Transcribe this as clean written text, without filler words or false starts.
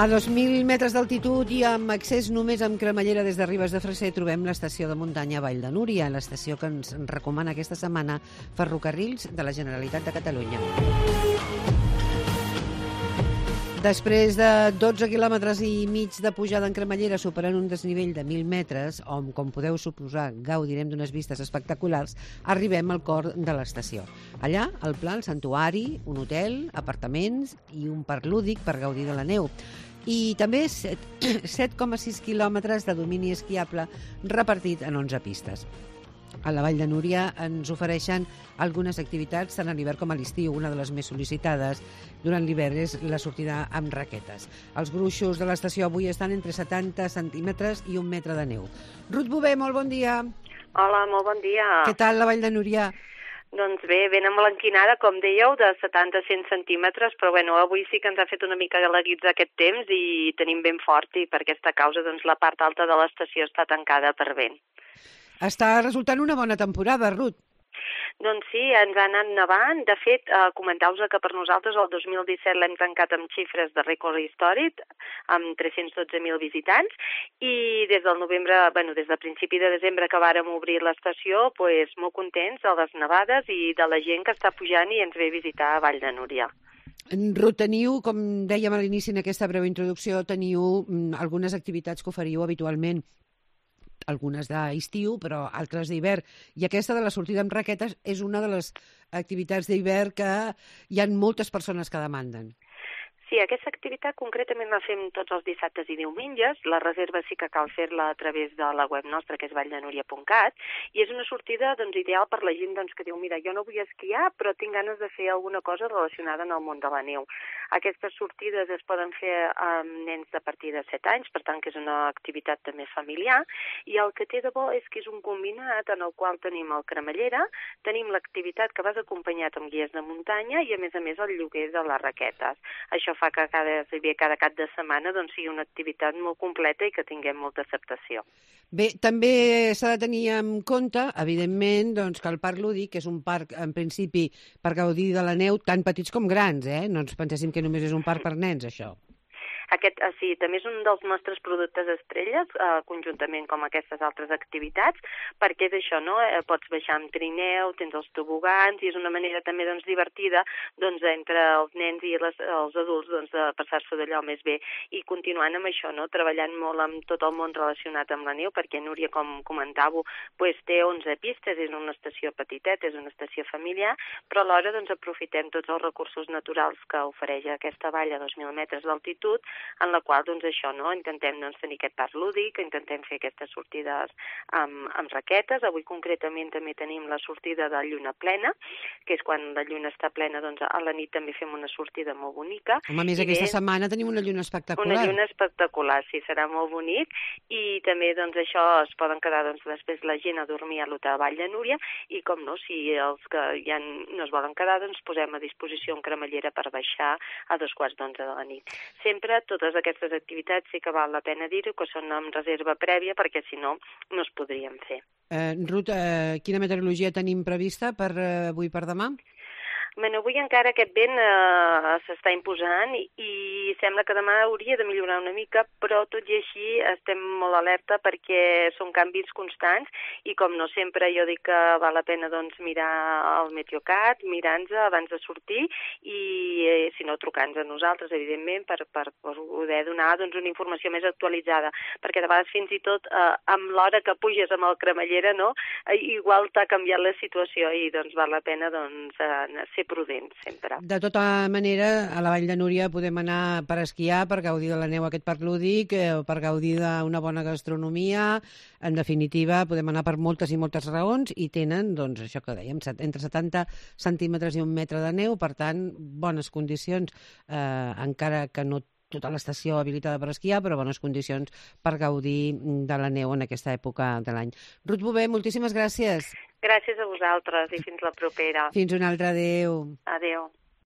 A 2.000 metres d'altitud i amb accés només amb cremallera des de Ribes de Freser trobem l'estació de muntanya Vall de Núria, l'estació que ens recomana aquesta setmana Ferrocarrils de la Generalitat de Catalunya. Després de 12 quilòmetres i mig de pujada en cremallera superant un desnivell de 1.000 metres, on, com podeu suposar, gaudirem d'unes vistes espectaculars, arribem al cor de l'estació. Allà, al pla, el santuari, un hotel, apartaments i un parc lúdic per gaudir de la neu. I també 7,6 quilòmetres de domini esquiable repartit en 11 pistes. A la Vall de Núria ens ofereixen algunes activitats tant a l'hivern com a l'estiu. Una de les més sol·licitades durant l'hivern és la sortida amb raquetes. Els gruixos de l'estació avui estan entre 70 centímetres i 1 metre de neu. Ruth Bové, molt bon dia. Hola, molt bon dia. Què tal la Vall de Núria? Doncs bé, ben emblanquinada, com dèieu, de 70 a 100 centímetres, però bueno, avui sí que ens ha fet una mica galaguits aquest temps i tenim vent fort i per aquesta causa doncs, la part alta de l'estació està tancada per vent. Està resultant una bona temporada, Ruth. Doncs sí, ens ha anat nevant. De fet, comentau-vos que per nosaltres el 2017 l'hem tancat amb xifres de rècord històric, amb 312.000 visitants, i des del novembre, des del principi de desembre que vàrem obrir l'estació, molt contents de les nevades i de la gent que està pujant i ens ve a visitar a Vall de Núria. Ruth, teniu, com dèiem a l'inici en aquesta breu introducció, teniu algunes activitats que oferiu habitualment, algunes d'estiu, però altres d'hivern. I aquesta de la sortida amb raquetes és una de les activitats d'hivern que hi ha moltes persones que demanden. Sí, aquesta activitat concretament la fem tots els dissabtes i diumenges. La reserva sí que cal fer-la a través de la web nostra, que és valldenuria.cat, i és una sortida ideal per la gent que diu, mira, jo no vull esquiar, però tinc ganes de fer alguna cosa relacionada amb el món de la neu. Aquestes sortides es poden fer amb nens de partir de 7 anys, per tant que és una activitat també familiar, i el que té de bo és que és un combinat en el qual tenim el cremallera, tenim l'activitat que vas acompanyat amb guies de muntanya i a més el lloguer de les raquetes. Això fa que cada cap de setmana sigui una activitat molt completa i que tinguem molta acceptació. Bé, també s'ha de tenir en compte, evidentment, que el parc lúdic és un parc, en principi, per gaudir de la neu, tant petits com grans, No ens penséssim que només és un parc per nens, això. Aquest, sí, també és un dels nostres productes estrelles, conjuntament com aquestes altres activitats, perquè és això, Pots baixar amb trineu, tens els tobogans, i és una manera també divertida entre els nens i els adults de passar-s'ho d'allò més bé. I continuant amb això, treballant molt amb tot el món relacionat amb la neu, perquè Núria, com comentàveu, té 11 pistes, és una estació petiteta, és una estació familiar, però alhora aprofitem tots els recursos naturals que ofereix aquesta vall a 2.000 metres d'altitud, en la qual, intentem tenir aquest parc lúdic, intentem fer aquestes sortides amb raquetes. Avui, concretament, també tenim la sortida de lluna plena, que és quan la lluna està plena, a la nit també fem una sortida molt bonica. Home, a més, aquesta setmana tenim una lluna espectacular. Una lluna espectacular, sí, serà molt bonic, i també, això, es poden quedar, després la gent a dormir a l'hotel Vall de Núria, i, com no, si els que ja no es volen quedar, posem a disposició un cremallera per baixar a 11:15 de la nit. Sempre totes aquestes activitats sí que val la pena dir-ho, que són amb reserva prèvia, perquè si no, no es podrien fer. Ruth, quina meteorologia tenim prevista per avui per demà? Avui encara aquest vent s'està imposant i sembla que demà hauria de millorar una mica, però tot i així estem molt alerta perquè són canvis constants i com no sempre jo dic que val la pena mirar el Meteocat, mirar-nos abans de sortir i si no trucar-nos a nosaltres, evidentment, per poder donar una informació més actualitzada, perquè de vegades fins i tot amb l'hora que puges amb el cremallera, igual t'ha canviat la situació i val la pena ser prudents sempre. De tota manera, a la Vall de Núria podem anar per esquiar, per gaudir de la neu a aquest parc lúdic, per gaudir d'una bona gastronomia. En definitiva, podem anar per moltes i moltes raons i tenen, això que dèiem, entre 70 centímetres i 1 metre de neu, per tant, bones condicions, encara que no tota l'estació habilitada per esquiar, però bones condicions per gaudir de la neu en aquesta època de l'any. Ruth Bové, moltíssimes gràcies. Gràcies a vosaltres i fins la propera. Fins una altra, adéu. Adéu.